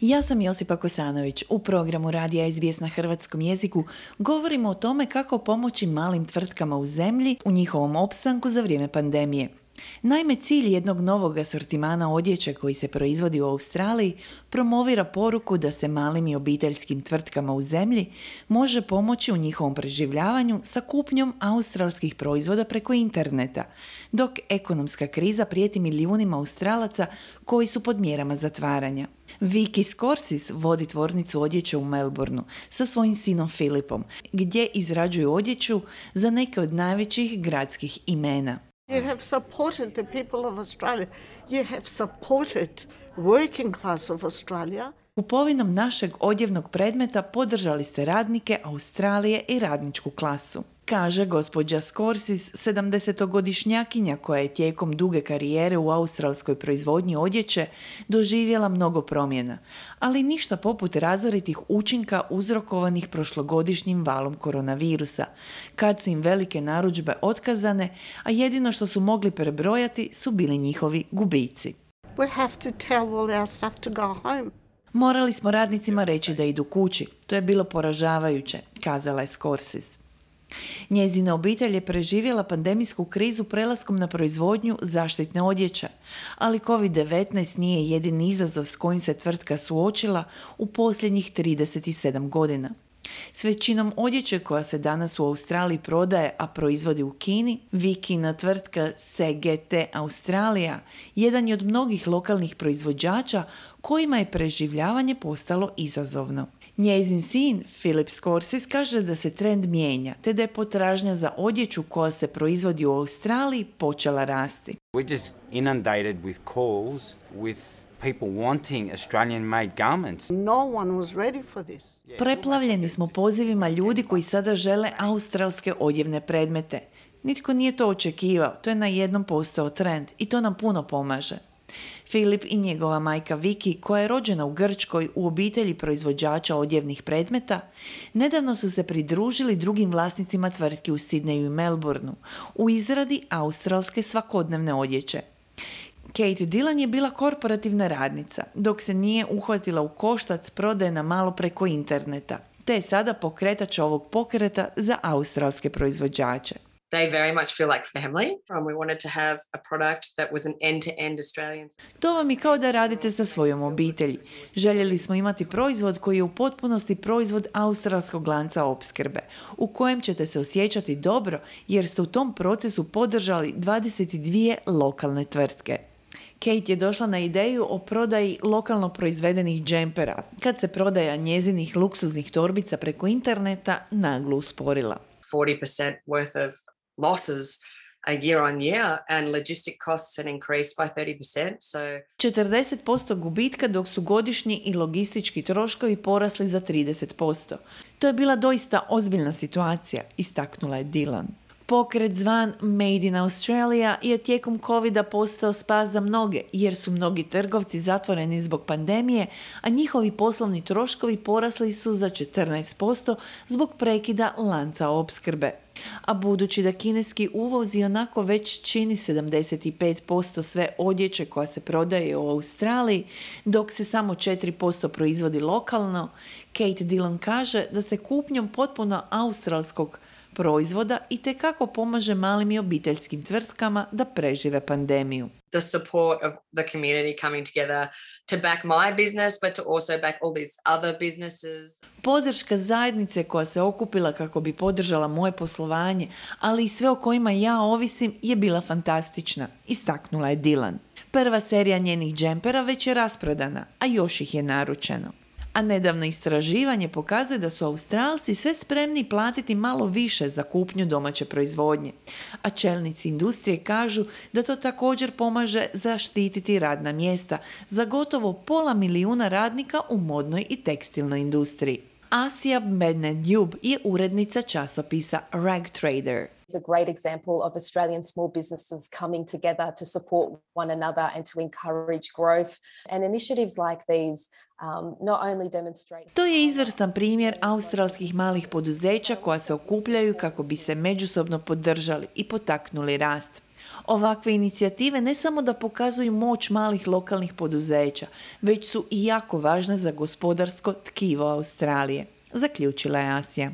Ja sam Josipa Kosanović. U programu Radija SBS na hrvatskom jeziku govorimo o tome kako pomoći malim tvrtkama u zemlji u njihovom opstanku za vrijeme pandemije. Naime, cilj jednog novog asortimana odjeće koji se proizvodi u Australiji promovira poruku da se malim i obiteljskim tvrtkama u zemlji može pomoći u njihovom preživljavanju sa kupnjom australskih proizvoda preko interneta, dok ekonomska kriza prijeti milijunima Australaca koji su pod mjerama zatvaranja. Vicky Scorsis vodi tvornicu odjeće u Melbourneu sa svojim sinom Filipom, gdje izrađuju odjeću za neke od najvećih gradskih imena. You have supported the people of Australia. You have supported working class of Australia. Kupovinom našeg odjevnog predmeta podržali ste radnike Australije i radničku klasu, kaže gospođa Scorsis, 70-godišnjakinja koja je tijekom duge karijere u australskoj proizvodnji odjeće doživjela mnogo promjena, ali ništa poput razoritih učinka uzrokovanih prošlogodišnjim valom koronavirusa, kad su im velike narudžbe otkazane, a jedino što su mogli prebrojati su bili njihovi gubici. We have to tell all our staff to go home. Morali smo radnicima reći da idu kući. To je bilo poražavajuće, kazala je Scorsis. Njezina obitelj je preživjela pandemijsku krizu prelaskom na proizvodnju zaštitne odjeće, ali COVID-19 nije jedini izazov s kojim se tvrtka suočila u posljednjih 37 godina. S većinom odjeće koja se danas u Australiji prodaje, a proizvodi u Kini, Vikina tvrtka CGT Australija jedan je od mnogih lokalnih proizvođača kojima je preživljavanje postalo izazovno. Njezin sin, Philip Scorsis, kaže da se trend mijenja, te da je potražnja za odjeću koja se proizvodi u Australiji počela rasti. We're just inundated with calls with people wanting Australian-made garments. No one was ready for this. Preplavljeni smo pozivima ljudi koji sada žele australske odjevne predmete. Nitko nije to očekivao, to je najednom postao trend i to nam puno pomaže. Filip i njegova majka Vicky, koja je rođena u Grčkoj u obitelji proizvođača odjevnih predmeta, nedavno su se pridružili drugim vlasnicima tvrtki u Sidneju i Melbourneu u izradi australske svakodnevne odjeće. Kate Dillon je bila korporativna radnica, dok se nije uhvatila u koštac prodaje na malo preko interneta, te je sada pokretač ovog pokreta za australske proizvođače. They very much feel like family. We wanted to have a product that was an end-to-end Australian. To vam je kao da radite sa svojom obitelji. Željeli smo imati proizvod koji je u potpunosti proizvod australskog lanca opskrbe, u kojem ćete se osjećati dobro jer ste u tom procesu podržali 22 lokalne tvrtke. Kate je došla na ideju o prodaji lokalno proizvedenih džempera, kad se prodaja njezinih luksuznih torbica preko interneta naglo usporila. 40% worth of losses a year on year and logistic costs had increased by 30%. So 40% gubitka dok su godišnji i logistički troškovi porasli za 30%. To je bila doista ozbiljna situacija, istaknula je Dillon. Pokret zvan Made in Australia je tijekom covida postao spas za mnoge jer su mnogi trgovci zatvoreni zbog pandemije, a njihovi poslovni troškovi porasli su za 14% zbog prekida lanca opskrbe. A budući da kineski uvoz ionako već čini 75% sve odjeće koja se prodaje u Australiji, dok se samo 4% proizvodi lokalno, Kate Dillon kaže da se kupnjom potpuno australskog proizvoda itekako pomaže malim i obiteljskim tvrtkama da prežive pandemiju. the support of the community coming together to back my business, but to also back all these other businesses. Podrška zajednice koja se okupila kako bi podržala moje poslovanje, ali i sve o kojima ja ovisim, je bila fantastična, istaknula je Dillon. Prva serija njenih džempera već je rasprodana, a još ih je naručeno. A nedavno istraživanje pokazuje da su Australci sve spremni platiti malo više za kupnju domaće proizvodnje. A čelnici industrije kažu da to također pomaže zaštititi radna mjesta za gotovo 500.000 radnika u modnoj i tekstilnoj industriji. Asija Bednedjub je urednica časopisa Rag Trader. It's a great example of Australian small businesses coming together to support one another and to encourage growth. And initiatives like these not only demonstrate... To je izvrstan primjer australskih malih poduzeća koja se okupljaju kako bi se međusobno podržali i potaknuli rast. Ovakve inicijative ne samo da pokazuju moć malih lokalnih poduzeća, već su i jako važne za gospodarsko tkivo Australije, zaključila je Asija.